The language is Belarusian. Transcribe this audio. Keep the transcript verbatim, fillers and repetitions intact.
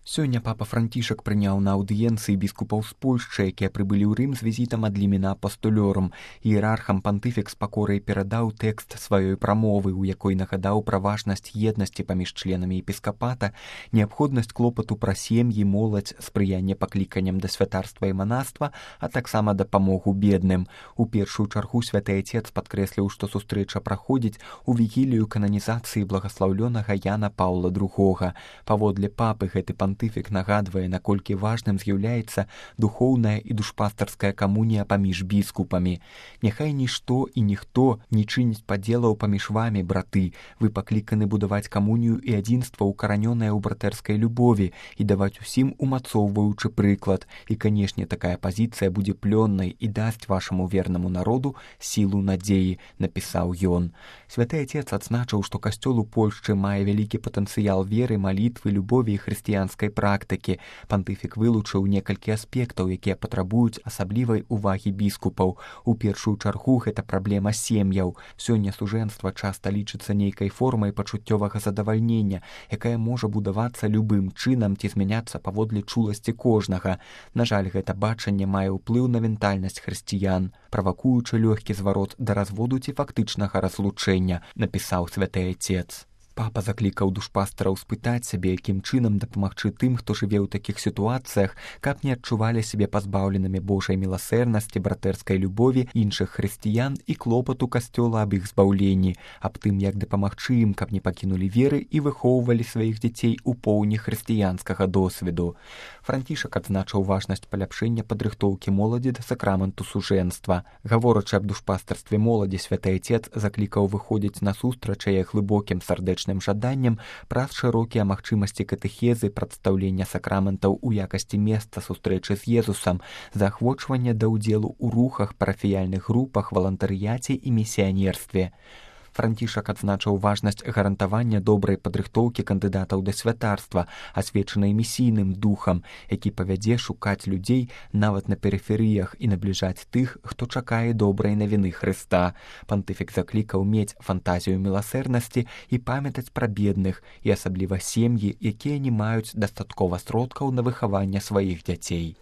Сёння папа Францішак прыняў на аўдыенцыі біскупаў з Польшчы, якія прыбылі ў Рым з візітам ад лімена апостолёрум. Іерархам пантыфік з пакорай перадаў тэкст сваёй прамовы, у якой нагадаў пра важнасць еднасці паміж членамі епіскапата, неабходнасць клопату пра сем'і, моладзь, спрыянне пакліканням да святарства і манаства, а таксама дапамогу бедным. У першую чаргу святы Айцец падкрэсліў, што сустрэча праходзіць у вігілію кананізацыі благаслаўлёнага Яна Паўла другога. Паводле папы гэты пантыфік Пантыфік нагадвае, наколькі важным з'яўляецца духоўная і душпастарская камунія паміж біскупамі. Няхай нішто і ніхто не чыніць падзелаў паміж вамі, браты. Вы пакліканы будаваць камунію і адзінства, укаранёнае ў братэрскай любові, і даваць усім умацоўваючы прыклад. І, канешне, такая пазіцыя будзе плённай і дасць вашаму вернаму народу сілу надзеі, напісаў ён. Святы Айцец адзначыў, што касцёл у Польшчы мае вялікі патэнцыял веры, малітвы, любові і хрысціянскай практыкі. Пантыфік вылучыў некалькі аспектаў, якія патрабуюць асаблівай увагі біскупаў. У першую чаргу гэта праблема сем'яў. Сёння сужэнства часта лічыцца нейкай формай пачуццёвага задавальнення, якая можа будавацца любым чынам ці змяняцца паводле чуласці кожнага. На жаль, гэта бачанне мае ўплыў на ментальнасць хрысціян, правакуючы лёгкі зварот да разводу ці фактычнага разлучэння, напісаў святы Айцец. Папа заклікаў душпастараў спытаць сябе, якім чынам дапамагчы тым, хто жыве ў такіх сітуацыях, каб не адчувалі сябе пазбаўленымі Божай міласэрнасці, братэрскай любові іншых хрысціян і клопату касцёла аб іх збаўленні, аб тым, як дапамагчы ім, каб не пакінулі веры і выхоўвалі сваіх дзяцей у поўні хрысціянскага досведу. Францішак адзначыў важнасць паляпшэння падрыхтоўкі моладзі да сакраменту сужэнства. Гаворачы аб душпастарстве моладзі, святы Айцец заклікаў выходзіць насустрач яе глыбокім сардэчным жаданнем праз шырокія магчымасці катэхезы, прадстаўлення сакраментаў у якасці месца сустрэчы з Езусам, заахвочвання да ўдзелу ў рухах, парафіяльных групах, валантарыяце і місіянерстве. Францішак адзначыў важнасць гарантавання добрай падрыхтоўкі кандыдатаў да святарства, асвечанай місійным духам, які павядзе шукаць людзей нават на перыферыях і набліжаць тых, хто чакае добрай навіны Хрыста. Пантыфік заклікаў мець фантазію міласэрнасці і памятаць пра бедных, і асабліва сем'і, якія не маюць дастаткова сродкаў на выхаванне сваіх дзяцей.